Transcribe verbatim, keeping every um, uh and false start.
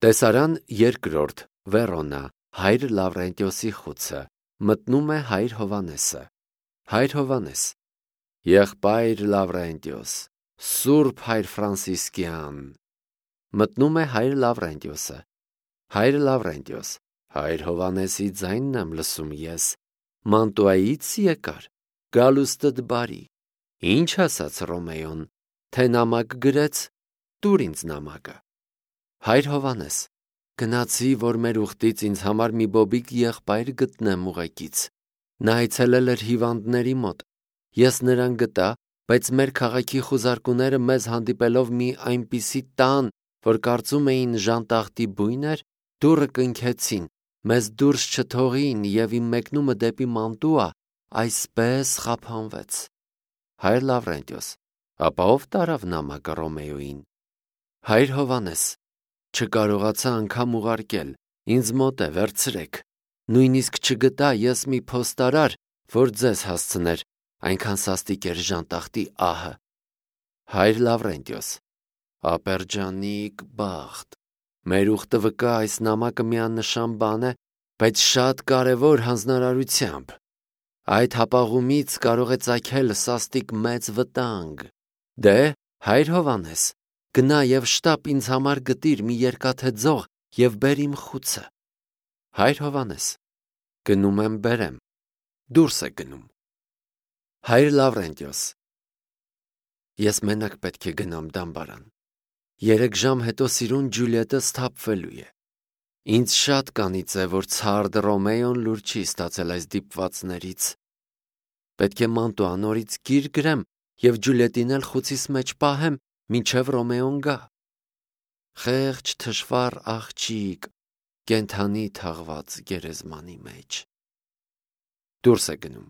Տեսարան երկրորդ, Վերոնա, հայր Լավրենտիոսի խուցը, մտնում է հայր Հովանեսը։ Հայր Հովանես. Եղբայր Լավրենտիոս, Սուրբ հայր Ֆրանսիսկյան։ Մտնում է հայր Լավրենտիոսը։ Հայր Լավրենտիոս. Հայր Հովանեսի ձայնն եմ լսում ես, Մանտուայից եկար, գալուստդ բարի։ Ինչ ասաց Ռոմեոն, թե նամակ գրեց, տուր ինձ նամակը։ Հայր Հովանես. Գնացի, որ մեր ուխտից ինձ համար մի բոբիկ եղբայր գտնեմ ուղեկից։ Նա այցելել էր հիվանդների մոտ։ Ես նրան գտա, բայց մեր քաղաքի խուզարկուները մեզ հանդիպելով մի այնպիսի տան, որ կարծում էին ժանտախտի բույն էր, դուռը կնքեցին, մեզ դուրս չթողին և իմ մեկնումը դեպի Մանտուա այսպես խափանվեց։ Հայր Լավրենտիոս. Ապա ով տարավ նամակը Ռոմեոյին։ Հայր Հովանես. Չկարողացա անգամ ուղարկել, ինձ մոտ է, վերցրեք։ Նույնիսկ չգտա ես մի փոստարար, որ ձեզ հասցներ, այնքան սաստիկ էր ժանտախտի ահը։ Հայր Լավրենտիոս. Ապերջանիկ բախտ։ Մեր ուխտը վկա այս նամակը միանշան բան է, բայց շատ կարևոր հանձնարարությամբ։ Այդ հապաղումից կարող է ծագել սաստիկ մեծ վտանգ։ Դե, հայր Հովանես, գնա և շտապ ինձ համար գտիր մի երկաթե ձող և բեր իմ խուցը։ Հայր Հովանես. Գնում եմ բերեմ, դուրս է գնում։ Հայր Լավրենտիոս. Ես մենակ պետք է գնամ դամբարան։ Երեք ժամ հետո սիրուն Ջուլիետը սթափվելու է։ Ինձ շատ կանից է, որ ցարդ Ռոմեոն լուր չի ստացել այս դիպվածներից։ Պետք է Մանտուա նորից գիր գրեմ և Ջուլիետին էլ խուցիս մեջ պահեմ, մինչև Ռոմեոն գա։ Խեղճ թշվառ աղջիկ, կենդանի թաղված գերեզմանի մեջ։ Դուրս է գնում։